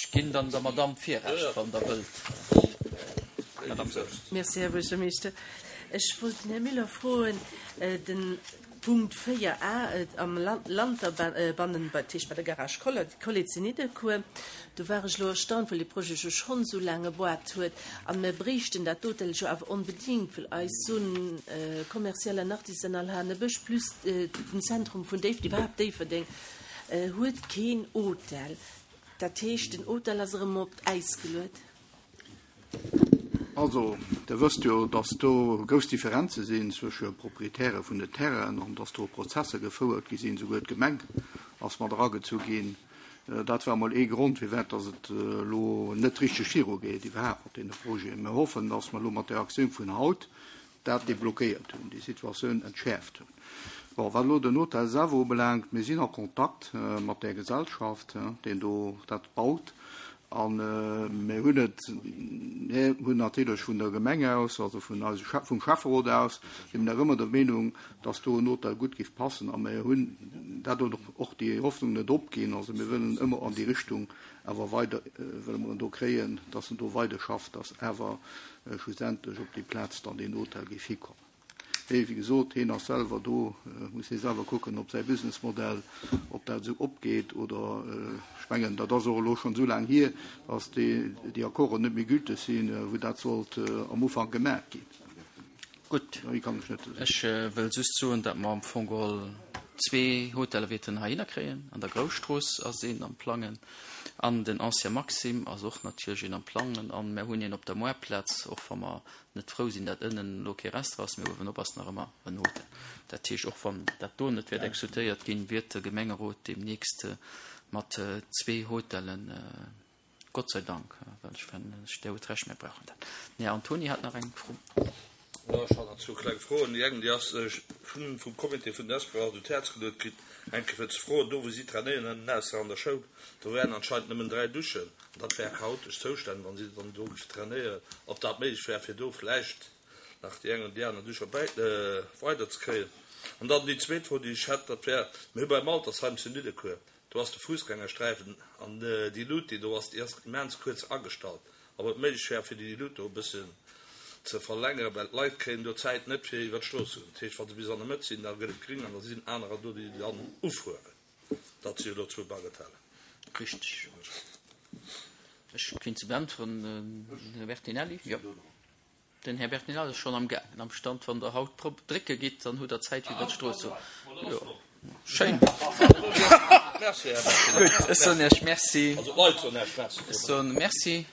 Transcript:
Ech ginn dann der Madamm d'Virrecht, wann Der wëllt. Madamm Goerens. Merci, Här Buergermeeschter. Ech wollt den Här Müller froen, den Punkt 4 a am Lanterbannen, dat heescht bei der Garage Collet zu Nidderkuer, do war ech elo erstaunt, well dee Projet jo schonn esou laang geboart huet a mir bréichten dat Hotel jo awer onbedéngt, well eis Zone commerciale an artisanale Hanebësch plus den Zentrum vun Déifferdeng, iwwerhaapt Déifferdeng huet keen Hotel. Dat heescht, den Hotel ass erëm op d'Äis geluet. Also, Der wësst jo, dass do grouss Differenze sinn zwësche Proprietäre vun den Terrainen an dass do Prozesser gefouert gi sinn. Souguer d'Gemeng ass mat eragezu ginn. Dat war emol ee Grond, firwat dass et elo net richteg virugeet iwwerhaapt mat deene Projeten. Mir hoffen, dass mer elo mat där Aktioun vun haut dat deblockéiert hunn, déi Situatioun entschäerft hunn. Bon, wat elo den Hotel selwer ubelaangt, mir sinn a Kontakt mat där Gesellschaft, deen do dat baut, a mir hunn et, mir hunn natierlech vun der Gemeng aus, also vun eise, vum Schäfferot aus, si mir nach ëmmer der Meenung, dass do en Hotel gutt géif passen a mir hunn dat och déi Hoffnung net opginn. Also mir wëllen ëmmer an déi Richtung awer weider, wëlle mer en do kréien, dass en do weiderschafft, dass awer schlussendlech op déi Plaz dann deen Hotel géif hikommen. Mee wéi gesot, hien ass selwer do, muss hie selwer kucken, ob säi Businessmodell, ob dat esou opgeet oder, ech mengen, dat ass och elo schonn esou laang hier, dass déi, déi Accorden net méi gülteg sinn, wou dat sollt am Ufank gemaach ginn. Gutt, ech wëll just soen, datt mer am Fong geholl zwee Hoteller wäerten heihinner kréien. An der Grousstrooss ass een am Plangen an den Ancien Maxime ass och natierlech een am Plangen an mer hunn een op der Moartplaz, och wa mer net frou sinn, datt ënnen elo kee Restaurant ass, mee uewenop ass nach ëmmer en Hotel. Dat heescht, och wann dat do net wäert exekutéiert ginn, wiert de Gemengerot deemnächst mat zwee Hotellen Gott sei Dank, well ech fannen, Dir hutt Recht, mir brauchen dat. Den Här Antoni hat nach eng Fro. Jo, ech hat nach zwou kleng Froen. Déi eng, déi ass, ech hunn vum Comité vun den Espoirs un d'Häerz geluet kritt, eng Kéier fir ze froen, do wou si trainéieren ënnen ausser an der Schoul, do wären anscheinend nëmmen 3 Duschen an dat wär chaotesch Zoustänn, wa si dann do géifen trainéieren, ob dat méiglech wär, fir do vläicht nach déi eng oder déi aner Dusch erbäi weiderzekréien. An dann déi zweet Fro, déi ech hätt, dat wär, mir hu beim Altersheim zu Nidderkuer, Do ass de Fussgängersträifen an déi Luut, déi do ass, déi ass immens kuerz agestallt. Ob et méiglech wär, fir déi Luut do e bëssen ze verlängeren, well d'Leit kréien do d'Zäit net, fir iwwer d'Strooss ze goen. Dat heescht, wa se bis an der Mëtt sinn, da gëtt et gring an da sinn anerer do, déi dann ufueren. Dat si elo zwou Bagatellen. Richteg. Ech kéint se beäntweren, Här Bertinelli. Jo. Den Här Bertinelli ass schonn am gaangen am Stand. Wann Der haut drop drécke gitt, dann hutt Der Zäit fir iwwer d'Strooss ze. Jo, schéin. Merci, Här Bertinelli. Gutt, ech soen Iech Merci. Also d'Leit soen Iech Merci. Ech soen Merci.